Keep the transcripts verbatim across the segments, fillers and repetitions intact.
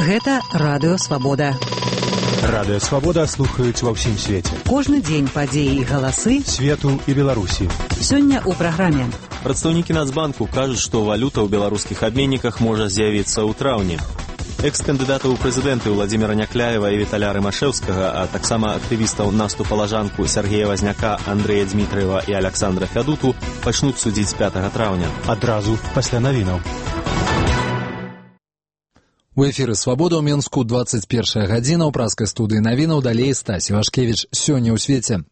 Гэта Радыё Свабода. Радыё Свабода слухаюць ва ўсім свеце. Кожны дзень падзеі і галасы свету і Беларусі. Сёння ў праграме. Прадстаўнікі Нацбанку кажуць, што валюта ў беларускіх абменніках можа з'явіцца ў траўні. Экс-кандыдата ў прэзідэнты Владзіміра Някляева і Віталя Рымашэўскага, а таксама актывістаў наступа лажанку Сергея Вазняка, Андрэя Дзмітраева і Аляксандра Фядуту пачнуць судзіць пятага траўня. Адразу пасля навінаў. У эфіры «Свабода» ў Менску двадцать першая гадзіна, ў праскай студыі навінаў, далей Стасі Вашкевіч. Сёння ў свеце.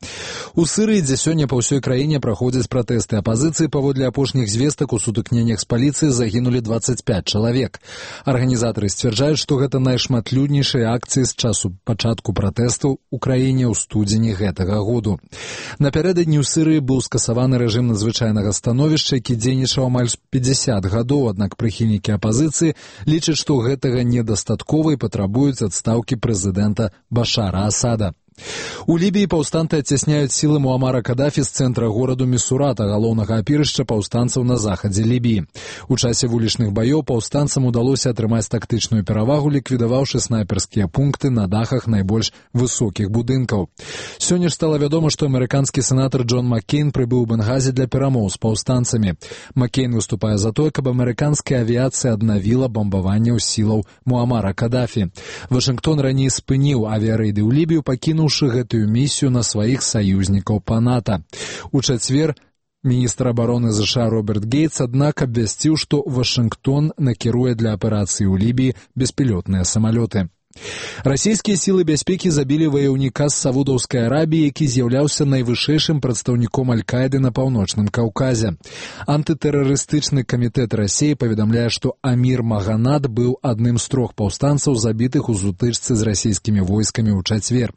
У Сырыі, дзе сёння па ўсёй краіне праходзяць пратэсты апазіцыі, паводле апошніх звестак у сутыкненнях з паліцыяй загінулі двадцать пять чалавек. Арганізатары сцвярджаюць, што гэта найшматлюднейшыя акцыі з часу пачатку пратэстаў у краіне ў студзені гэтага году. Напярэдадні ў Сырыі быў скасаваны рэжым надзвычайнага становішча, які дзейнічаў амаль пятьдесят гадоў, аднак прыхільнікі апазіцыі лічаць, што гэта недастаткова і патрабуюць адстаўкі прэзідэнта Башара Асада. У Лібіі паўстанцы адцясняюць сілы Муамара Кадафі з цэнтра гораду Місурата, галоўнага апірышча паўстанцаў на захадзе Лібіі. У часе вулічных баёў паўстанцам удалося атрымаць тактычную перавагу, ліквідаваўшы снайперскія пункты на дахах найбольш высокіх будынкаў. Сёння ж стала вядома, што амерыканскі сенатар Джон Маккейн прыбыў у Бенгазі для перамоў з паўстанцамі. Маккейн выступае за тое, каб амерыканская авіяцыя аднавіла бамбаванне ў сілаў Муамара Кадафі. Вашынгтон раней спыніў авіярэйды ў Лібію, пакінуў гэтую місію на сваіх саюзнікаў па НАТО. У чацвер міністр абароны ЗША Роберт Гейтс, аднак, абвясціў, што Вашынгтон накіруе для аперацыі ў Лібіі беспілотныя самалёты. Расійскія сілы бяспекі забілі ваяўніка з Саудаўскай Арабіі, які з'яўляўся найвышэйшым прадстаўніком Аль-Каіды на паўночным Каўказе. Антытэрарыстычны камітэт Расіі паведамляе, што Амір Маганат быў адным з трох паўстанцаў, забітых у сутычцы з расійскімі войскамі ў чацвер.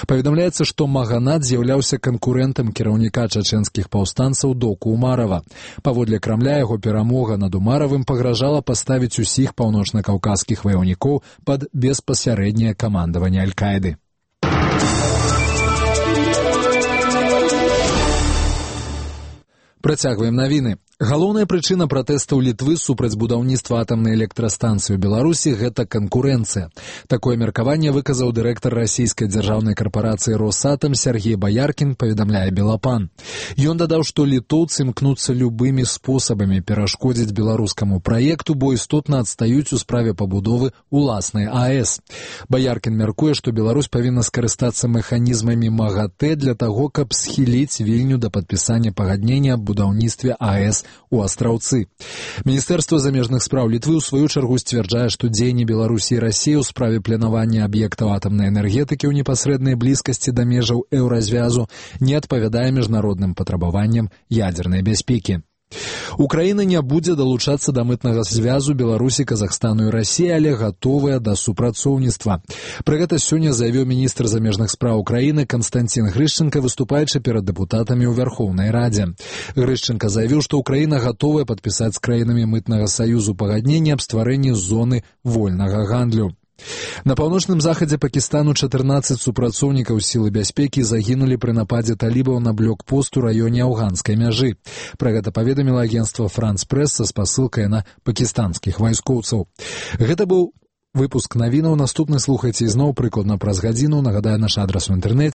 Паведамляецца, што Маганат з'яўляўся канкурэнтам кіраўніка чачэнскіх паўстанцаў Доку Умарава. Паводле Крамля, яго перамога над Умаравым пагражала паставіць усіх паўночна-каўказскіх ваяўнікоў пад беспасярэднае сярэдняе камандаванне Аль-Каіды. Працягваем навіны. Галоўная прычына пратэстаў Літвы супраць будаўніцтва атамнай электрастанцыі ў Беларусі – гэта канкурэнцыя. Такое меркаванне выказаў дырэктар расійскай дзяржаўнай карпарацыі «Росатам» Сергей Баяркін, паведамляе Белапан. Ён дадаў, што літоўцы імкнуцца любымі спосабамі перашкодзіць беларускаму праекту, бо істотна адстаюць у справе пабудовы уласнай АЭС. Баяркін мяркуе, што Беларусь павінна скарыстацца механізмамі МАГАТЭ для таго, каб схіліць Вільню да падпісання пагаднення аб будаўніцтве АЭС у Астраўцы. Міністэрства замежных спраў Літвы ў сваю чаргу сцвярджае, што дзеянні Беларусі і Расіі ў справе планавання аб'ектаў атамнай энергетыкі ў непасрэднай блізкасці да межаў еўразвязу не адпавядае міжнародным патрабаванням ядзернай бяспекі. Украіна не будзе далучацца да мытнага звязу Беларусі, Казахстану і Расіі, але гатовая да супрацоўніцтва. Пра гэта сёння заявіў міністр замежных спраў Украіны Канстанцін Грышченка, выступаючы перад дэпутатамі ў Вярхоўнай Радзе. Грышченка заявіў, што Украіна гатовая падпісаць з краінамі мытнага саюзу пагадненне аб стварэнні зоны вольнага гандлю. На паўночным захадзе Пакістану чатырнаццаць супрацоўнікаў сілы бяспекі загінулі пры нападзе талібаў на блокпост у раёне афганскай мяжы. Пра гэта паведаміла агенцтва «Франс Прэс» са спасылкай на пакістанскіх вайскоўцаў. Гэта быў выпуск навінаў. Наступны слухайце ізноў прыкладна праз гадзіну. Нагадаю, наш адрас у інтэрнэце